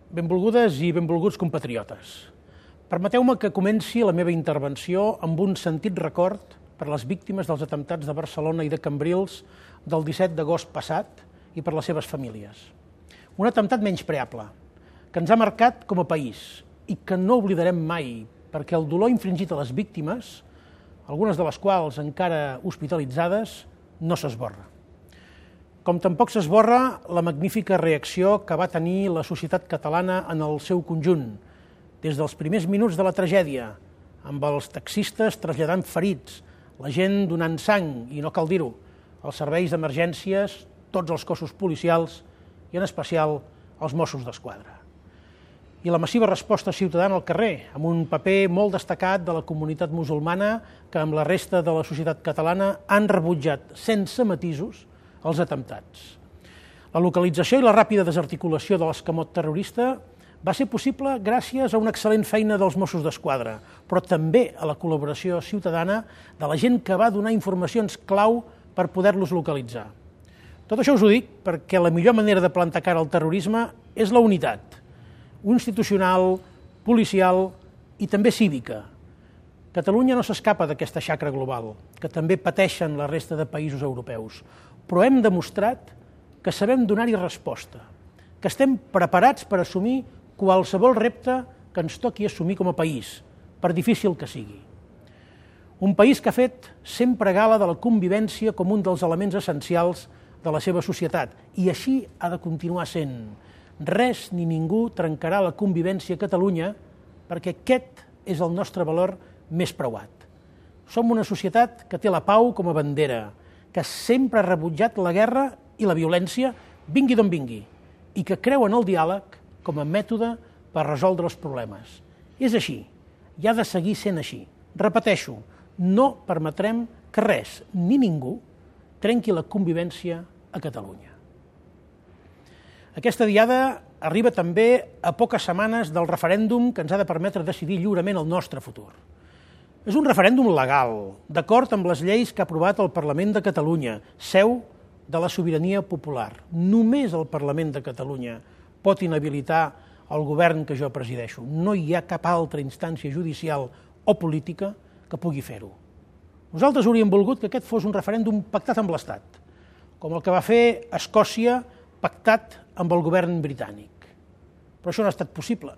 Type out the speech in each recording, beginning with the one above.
Benvolgudes i benvolguts compatriotes. Permeteu-me que comenci la meva intervenció amb un sentit record per les víctimes dels atemptats de Barcelona i de Cambrils del 17 d'agost passat i per les seves famílies. Un atemptat menyspreable, que ens ha marcat com a país i que no oblidarem mai, perquè el dolor infringit a les víctimes, algunes de les quals encara hospitalitzades, no s'esborra. Com tampoc s'esborra la magnífica reacció que va tenir la societat catalana en el seu conjunt, des dels primers minuts de la tragèdia, amb els taxistes traslladant ferits, la gent donant sang, i no cal dir-ho, els serveis d'emergències, tots els cossos policials i en especial els Mossos d'Esquadra. I la massiva resposta ciutadana al carrer, amb un paper molt destacat de la comunitat musulmana que amb la resta de la societat catalana han rebutjat sense matisos els atemptats. La localització i la ràpida desarticulació de l'escamot terrorista va ser possible gràcies a una excel·lent feina dels Mossos d'Esquadra, però també a la col·laboració ciutadana de la gent que va donar informacions clau per poder-los localitzar. Tot això us ho dic perquè la millor manera de plantar cara al terrorisme és la unitat institucional, policial i també cívica. Catalunya no s'escapa d'aquesta xacra global, que també pateixen la resta de països europeus, però hem demostrat que sabem donar-hi resposta, que estem preparats per assumir qualsevol repte que ens toqui assumir com a país, per difícil que sigui. Un país que ha fet sempre gala de la convivència com un dels elements essencials de la seva societat, i així ha de continuar sent. Res ni ningú trencarà la convivència a Catalunya, perquè aquest és el nostre valor més preuat. Som una societat que té la pau com a bandera, que sempre ha rebutjat la guerra i la violència, vingui d'on vingui, i que creu en el diàleg com a mètode per resoldre els problemes. És així, i ha de seguir sent així. Repeteixo, no permetrem que res ni ningú trenqui la convivència a Catalunya. Aquesta diada arriba també a poques setmanes del referèndum que ens ha de permetre decidir lliurement el nostre futur. És un referèndum legal, d'acord amb les lleis que ha aprovat el Parlament de Catalunya, seu de la sobirania popular. Només el Parlament de Catalunya pot inhabilitar el govern que jo presideixo. No hi ha cap altra instància judicial o política que pugui fer-ho. Nosaltres hauríem volgut que aquest fos un referèndum pactat amb l'Estat, com el que va fer Escòcia pactat amb el govern britànic. Però això no ha estat possible.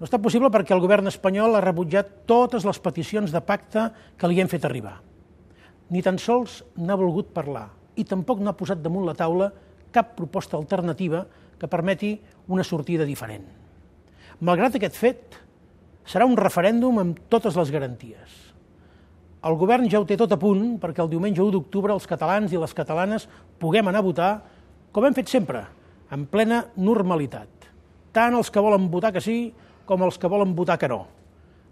No ha estat possible perquè el govern espanyol ha rebutjat totes les peticions de pacte que li hem fet arribar. Ni tan sols n'ha volgut parlar i tampoc no ha posat damunt la taula cap proposta alternativa que permeti una sortida diferent. Malgrat aquest fet, serà un referèndum amb totes les garanties. El govern ja ho té tot a punt perquè el diumenge 1 d'octubre els catalans i les catalanes puguem anar a votar com hem fet sempre, en plena normalitat. Tant els que volen votar que sí com els que volen votar que no.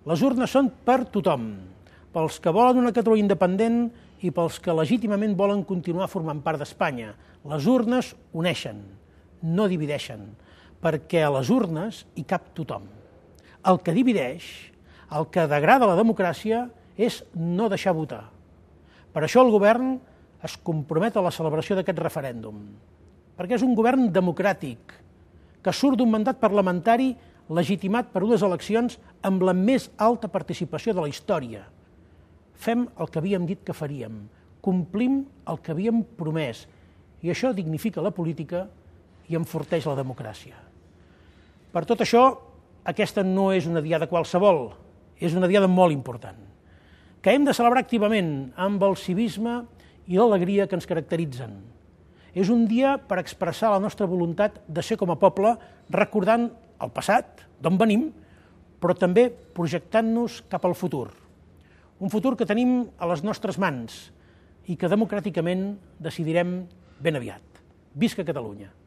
Les urnes són per tothom, pels que volen una Catalunya independent i pels que legítimament volen continuar formant part d'Espanya. Les urnes uneixen, no divideixen, perquè a les urnes hi cap tothom. El que divideix, el que degrada la democràcia, és no deixar votar. Per això el govern es compromet a la celebració d'aquest referèndum, perquè és un govern democràtic, que surt d'un mandat parlamentari legitimat per unes eleccions amb la més alta participació de la història. Fem el que havíem dit que faríem, complim el que havíem promès, i això dignifica la política i enforteix la democràcia. Per tot això, aquesta no és una diada qualsevol, és una diada molt important, que hem de celebrar activament amb el civisme i l'alegria que ens caracteritzen. És un dia per expressar la nostra voluntat de ser com a poble, recordant el passat, d'on venim, però també projectant-nos cap al futur. Un futur que tenim a les nostres mans i que democràticament decidirem ben aviat. Visca Catalunya!